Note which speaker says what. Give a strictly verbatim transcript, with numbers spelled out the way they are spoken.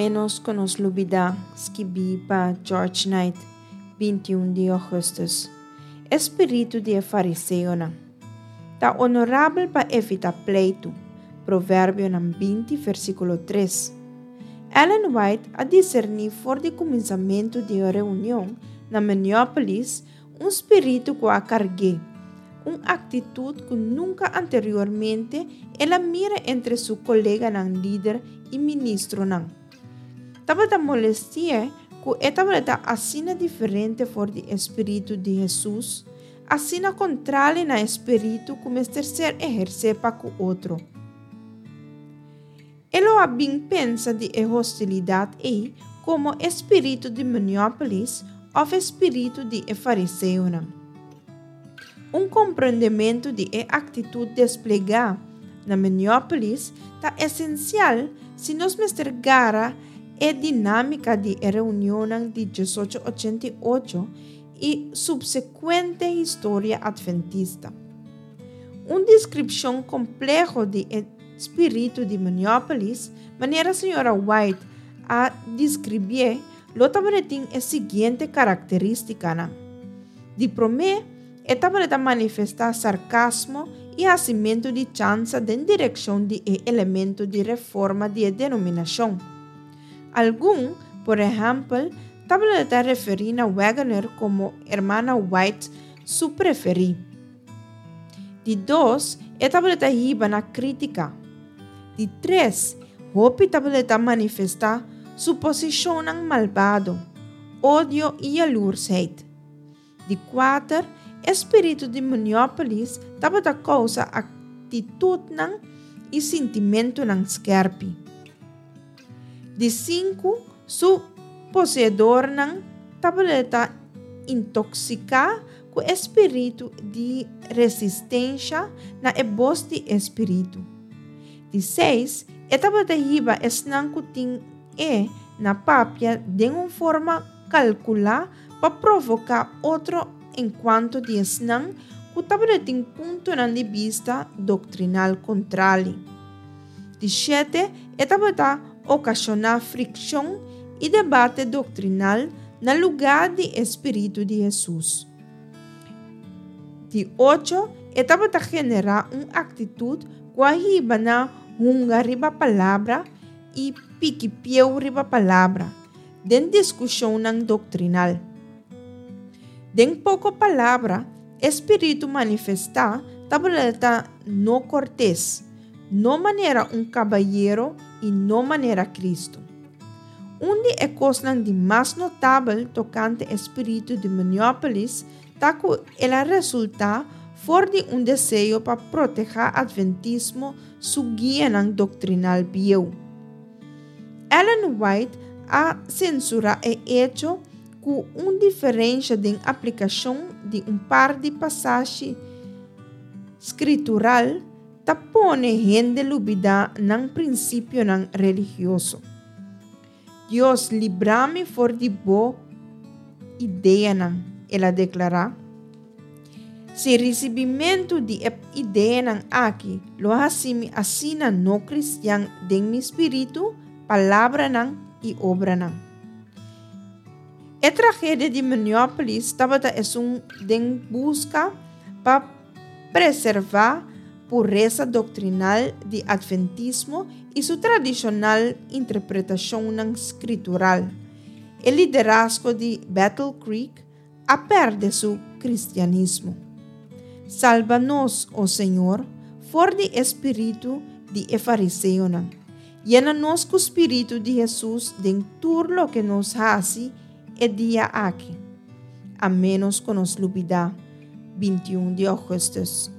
Speaker 1: Ménos ku nos lubidá, skibí pa George Knight, binti un di ougùstùs. E spiritu di e fariseonan. Ta onorabel pa evitá pleitu. Proverbionan binti versíkulo tres. Ellen White a diserní for di kuminsamentu di e reunion na Minneapolis un spiritu ku a karg'é, un aktitut ku nunka anteriormente el a mira entre su koleganan lider i ministronan. Tabata molesti'é ku e tabata asina diferente for di e spiritu di Hesus, asina kontrali na e spiritu ku mester ser ehersé pa ku otro. E lo a bin pensa di e hostilidat ei komo e spiritu di Minneapolis òf e spiritu di e fariseonan. Un komprendementu di e aktitut desplegá na Minneapolis ta esensial si nos mester gara e dinámika di e reunionnan di diesocho ochenta i ocho i supsekuente historia atventista. Un deskripshon kompleho di e spiritu di Minneapolis, manera señora White a deskribié, lo tabatin e siguiente karakterístikanan. Di promé, e tabata manifestá sarkasmo i hasimentu di chansa den direkshon di e elemento di reforma di e denominashon. Algun, por ehèmpel, tabata referí na Waggoner komo Hermana White su preferí. Di dos, e tabata hiba na krítika. Di tres, hopi tabata manifestá suposishonnan malbado, odio i yalursheid. Di kuater, e spiritu di Minneapolis tabata kousa aktitutnan i sintimentunan skèrpi. Di sinku, su poseedornan tabata intoksiká ku e spiritu di resistensha na e bos di e spiritu. Di seis, e tabata hiba esnan ku tin e na papia den un forma kalkulá pa provoká otro enkuanto di esnan ku tabatin puntonan di bista doktrinal kontrali. Di shete, e tabata okashoná frikshon i debate doktrinal na lugá di e spiritu di Hesus. Di ocho, e tabata generá un aktitut ku a hiba na hunga riba palabra i piki pieu riba palabra den diskushonnan doktrinal. Den poko palabra, e spiritu manifestá tabata no kortes, no manera un kabayero i no manera Kristu. Un di e kosnan di mas notabel tokante e spiritu di Minneapolis ta ku el a resultá for di un deseo pa protehá Adventismo su guianan doktrinal bieu. Ellen White a sensurá e echo ku un diferensha den aplikashon di un par di pasashi skritural ta pone hende lubidá nan prinsipionan religioso. Dios libra mi for di bo ideanan, el a deklará. Si risibimentu di e ideanan aki lo hasi mi asina no kristian den mi spiritu, palabranan i obranan. E tragedia di Minneapolis tabata esun den buska pa preservá puresa doktrinal di Adventismo i su tradishonal interpretashonnan skritural. E liderazgo di Battle Creek a pèrdè su kristianismo. Salba nos, o Señor, for di e spiritu di e fariseonan. Yena nos ku spiritu di Hesus den tur loke nos hasi e dia aki. A ménos ku nos lubidá, binti un di ougùstùs.